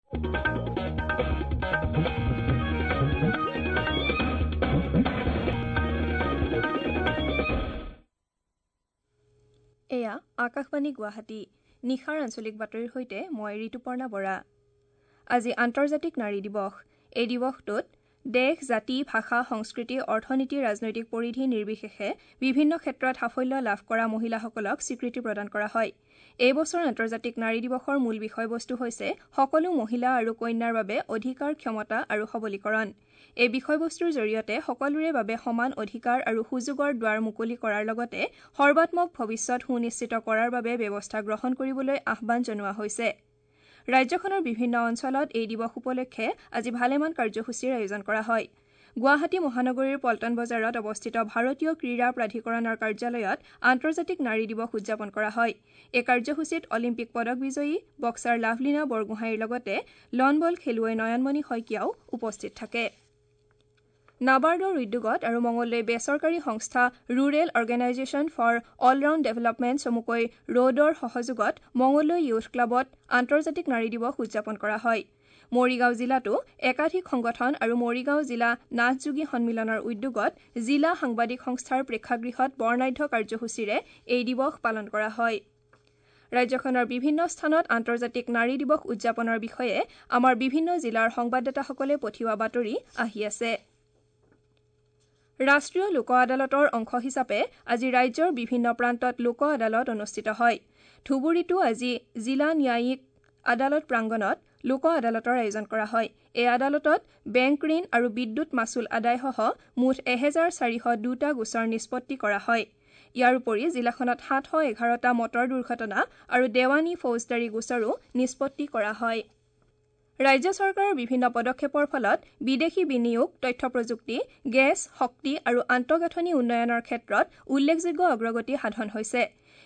এয়া আকাশবাণী গুৱাহাটী। নিশাৰ আঞ্চলিক বাতৰিৰ সৈতে মই ঋতুপৰ্ণা বৰা। আজি আন্তৰ্জাতিক নাৰী দিৱস। এই দিৱসটোত দেশ, জাতি, ভাষা, সংস্কৃতি, অৰ্থনীতি, ৰাজনৈতিক পৰিধি নিৰ্বিশেষে বিভিন্ন ক্ষেত্ৰত সাফল্য লাভ কৰা মহিলাসকলক স্বীকৃতি প্ৰদান কৰা হয়। এই বছৰ আন্তৰ্জাতিক নাৰী দিৱসৰ মূল বিষয়বস্তু হৈছে সকলো মহিলা আৰু কন্যাৰ বাবে অধিকাৰ, ক্ষমতা আৰু সবলীকৰণ। এই বিষয়বস্তুৰ জৰিয়তে সকলোৰে বাবে সমান অধিকাৰ আৰু সুযোগৰ দুৱাৰ মুকলি কৰাৰ লগতে সৰ্বাত্মক ভৱিষ্যত সুনিশ্চিত কৰাৰ বাবে ব্যৱস্থা গ্ৰহণ কৰিবলৈ আহ্বান জনোৱা হৈছে। ৰাজ্যখনৰ বিভিন্ন অঞ্চলত এই দিৱস উপলক্ষে আজি ভালেমান কাৰ্যসূচীৰ আয়োজন কৰা হয়। গুৱাহাটী মহানগৰীৰ পল্টন বজাৰত অৱস্থিত ভাৰতীয় ক্ৰীড়া প্ৰাধিকৰণৰ কাৰ্যালয়ত আন্তৰ্জাতিক নাৰী দিৱস উদযাপন কৰা হয়। এই কাৰ্যসূচীত অলিম্পিক পদক বিজয়ী বক্সাৰ লাভলীনা বৰগোহাঁইৰ লগতে লন বল খেলুৱৈ নয়নমণি শইকীয়াও উপস্থিত থাকে। নাবাৰ্ডৰ উদ্যোগত আৰু মঙলদৈ বেচৰকাৰী সংস্থা rural organisation for all round development চমুকৈ ৰোডৰ সহযোগত মঙলদৈ য়ুথ ক্লাবত আন্তৰ্জাতিক নাৰী দিৱস উদযাপন কৰা হয়। মৰিগাঁও জিলাতো একাধিক সংগঠন আৰু মৰিগাঁও জিলা নাথযোগী সন্মিলনৰ উদ্যোগত জিলা সাংবাদিক সংস্থাৰ প্ৰেক্ষাগৃহত বৰ্ণাঢ্য কাৰ্যসূচীৰে এই দিৱস পালন কৰা হয়। ৰাজ্যখনৰ বিভিন্ন স্থানত আন্তৰ্জাতিক নাৰী দিৱস উদযাপনৰ বিষয়ে আমাৰ বিভিন্ন জিলাৰ সংবাদদাতাসকলে পঠিওৱা বাতৰি আহি আছে। ৰাষ্ট্ৰীয় লোক আদালতৰ অংশ হিচাপে আজি ৰাজ্যৰ বিভিন্ন প্ৰান্তত লোক আদালত অনুষ্ঠিত হয়। ধুবুৰীতো আজি জিলা ন্যায়িক আদালত প্ৰাংগণত লোক আদালতৰ আয়োজন কৰা হয়। এই আদালতত বেংক ঋণ আৰু বিদ্যুৎ মাচুল আদায়সহ মুঠ ১৪০২টা গোচৰ নিষ্পত্তি কৰা হয়। ইয়াৰ উপৰি জিলাখনত ৭১১টা মটৰ দুৰ্ঘটনা আৰু দেৱানী ফৌজদাৰী গোচৰো নিষ্পত্তি কৰা হয়। ৰাজ্য চৰকাৰৰ বিভিন্ন পদক্ষেপৰ ফলত বিদেশী বিনিয়োগ, তথ্য প্ৰযুক্তি, গেছ, শক্তি আৰু আন্তঃগাঁথনি উন্নয়নৰ ক্ষেত্ৰত উল্লেখযোগ্য অগ্ৰগতি সাধন হৈছে।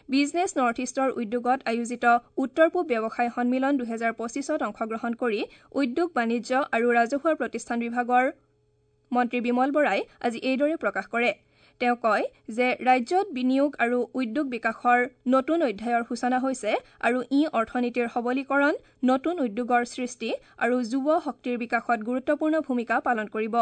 বিজনেছ নৰ্থ ইষ্টৰ উদ্যোগত আয়োজিত উত্তৰ পূব ব্যৱসায় সন্মিলন ২০২৫ত অংশগ্ৰহণ কৰি উদ্যোগ, বাণিজ্য আৰু ৰাজহুৱা প্ৰতিষ্ঠান বিভাগৰ মন্ত্ৰী বিমল বৰাই আজি এইদৰে প্ৰকাশ কৰে। তেওঁ কয় যে ৰাজ্যত বিনিয়োগ আৰু উদ্যোগ বিকাশৰ নতুন অধ্যায়ৰ সূচনা হৈছে আৰু ই অৰ্থনীতিৰ সবলীকৰণ, নতুন উদ্যোগৰ সৃষ্টি আৰু যুৱ শক্তিৰ বিকাশত গুৰুত্বপূৰ্ণ ভূমিকা পালন কৰিব।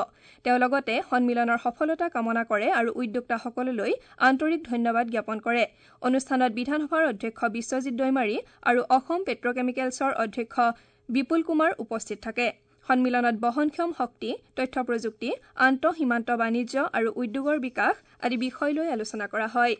তেওঁ লগতে সন্মিলনৰ সফলতা কামনা কৰে আৰু উদ্যোক্তাসকললৈ আন্তৰিক ধন্যবাদ জ্ঞাপন কৰে। অনুষ্ঠানত বিধানসভাৰ অধ্যক্ষ বিশ্বজিৎ দৈমাৰী আৰু অসম পেট্ৰকেমিকেলছৰ অধ্যক্ষ বিপুল কুমাৰ উপস্থিত থাকে। সন্মিলনত বহনক্ষম শক্তি, তথ্য প্ৰযুক্তি, আন্তঃসীমান্ত বাণিজ্য আৰু উদ্যোগৰ বিকাশ আদি বিষয় লৈ আলোচনা কৰা হয়।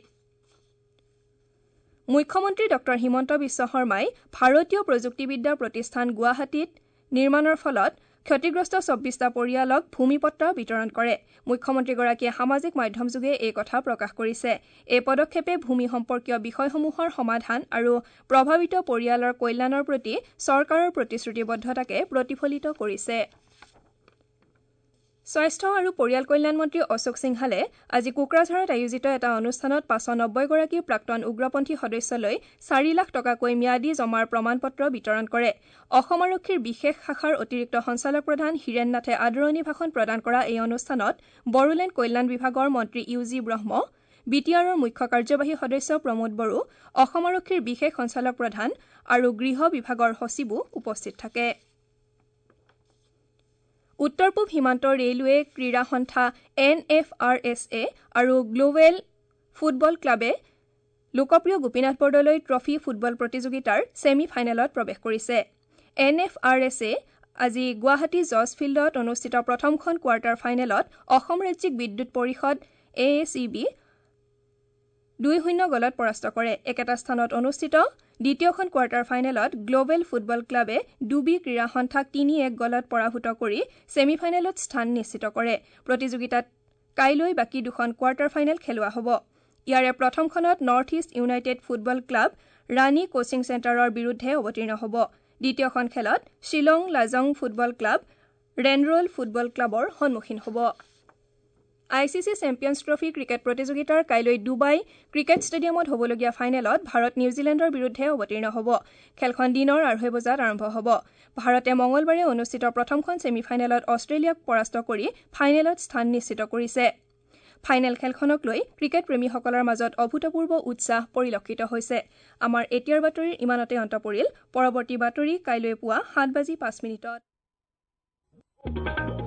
মুখ্যমন্ত্ৰী ডঃ হিমন্ত বিশ্ব শৰ্মাই ভাৰতীয় প্ৰযুক্তিবিদ্যা প্ৰতিষ্ঠান গুৱাহাটীত নিৰ্মাণৰ ফলত ক্ষতিগ্ৰস্ত ২৪টা পৰিয়ালক ভূমিপট্টা বিতৰণ কৰে। মুখ্যমন্ত্ৰীগৰাকীয়ে সামাজিক মাধ্যমযোগে এই কথা প্ৰকাশ কৰিছে। এই পদক্ষেপে ভূমি সম্পৰ্কীয় বিষয়সমূহৰ সমাধান আৰু প্ৰভাৱিত পৰিয়ালৰ কল্যাণৰ প্ৰতি চৰকাৰৰ প্ৰতিশ্ৰুতিবদ্ধতাকে প্ৰতিফলিত কৰিছে। স্বাস্থ্য আৰু পৰিয়াল কল্যাণ মন্ত্ৰী অশোক সিংহালে আজি কোকৰাঝাৰত আয়োজিত এটা অনুষ্ঠানত ৫৯০গৰাকী প্ৰাক্তন উগ্ৰপন্থী সদস্যলৈ ৪ লাখ টকাকৈ ম্যাদী জমাৰ প্ৰমাণপত্ৰ বিতৰণ কৰে। অসম আৰক্ষীৰ বিশেষ শাখাৰ অতিৰিক্ত সঞ্চালক প্ৰধান হীৰেণ নাথে আদৰণি ভাষণ প্ৰদান কৰা এই অনুষ্ঠানত বড়োলেণ্ড কল্যাণ বিভাগৰ মন্ত্ৰী ইউ জি ব্ৰহ্ম, বি টি আৰৰ মুখ্য কাৰ্যবাহী সদস্য প্ৰমোদ বড়ো, অসম আৰক্ষীৰ বিশেষ সঞ্চালক প্ৰধান আৰু গৃহ বিভাগৰ সচিবো উপস্থিত থাকে। উত্তৰ পূব সীমান্ত ৰেলৱে ক্ৰীড়া সন্থা N F R S A আৰু গ্লোবেল ফুটবল ক্লাবে লোকপ্ৰিয় গোপীনাথ বৰদলৈ ট্ৰফী ফুটবল প্ৰতিযোগিতাৰ ছেমি ফাইনেলত প্ৰৱেশ কৰিছে। N F R S A আজি গুৱাহাটী জজ ফিল্ডত অনুষ্ঠিত প্ৰথমখন কোৱাৰ্টাৰ ফাইনেলত অসম ৰাজ্যিক বিদ্যুৎ পৰিষদ এ এ চি বি ২-০ গ'লত পৰাস্ত কৰে। একেটা স্থানত অনুষ্ঠিত দ্বিতীয়খন কোৱাৰ্টাৰ ফাইনেলত গ্লোবেল ফুটবল ক্লাবে ডুবি ক্ৰীড়া সন্থাক ৩-১ গ'লত পৰাভূত কৰি ছেমি ফাইনেলত স্থান নিশ্চিত কৰে। প্ৰতিযোগিতাত কাইলৈ বাকী দুখন কোৱাৰ্টাৰ ফাইনেল খেলোৱা হ'ব। ইয়াৰে প্ৰথমখনত North East United football club Rani coaching চেণ্টাৰৰ বিৰুদ্ধে অৱতীৰ্ণ হ'ব। দ্বিতীয়খন খেলত শ্বিলং লাজং ফুটবল ক্লাব ৰেনৰল ফুটবল ক্লাবৰ সন্মুখীন হ'ব। I C C champions trophy cricket প্ৰতিযোগিতাৰ কাইলৈ ডুবাই ক্ৰিকেট ষ্টেডিয়ামত হ'বলগীয়া ফাইনেলত ভাৰত নিউজিলেণ্ডৰ বিৰুদ্ধে অৱতীৰ্ণ হ'ব। খেলখন দিনৰ ২:৩০ বজাত আৰম্ভ হ'ব। ভাৰতে মঙলবাৰে অনুষ্ঠিত প্ৰথমখন ছেমি ফাইনেলত অষ্ট্ৰেলিয়াক পৰাস্ত কৰি ফাইনেলত স্থান নিশ্চিত কৰিছে। ফাইনেল খেলখনক লৈ ক্ৰিকেট প্ৰেমীসকলৰ মাজত অভূতপূৰ্ব উৎসাহ পৰিলক্ষিত হৈছে। আমাৰ এতিয়াৰ বাতৰিৰ ইমানতে অন্ত পৰিল। পৰৱৰ্তী বাতৰি কাইলৈ পুৱা 7:05।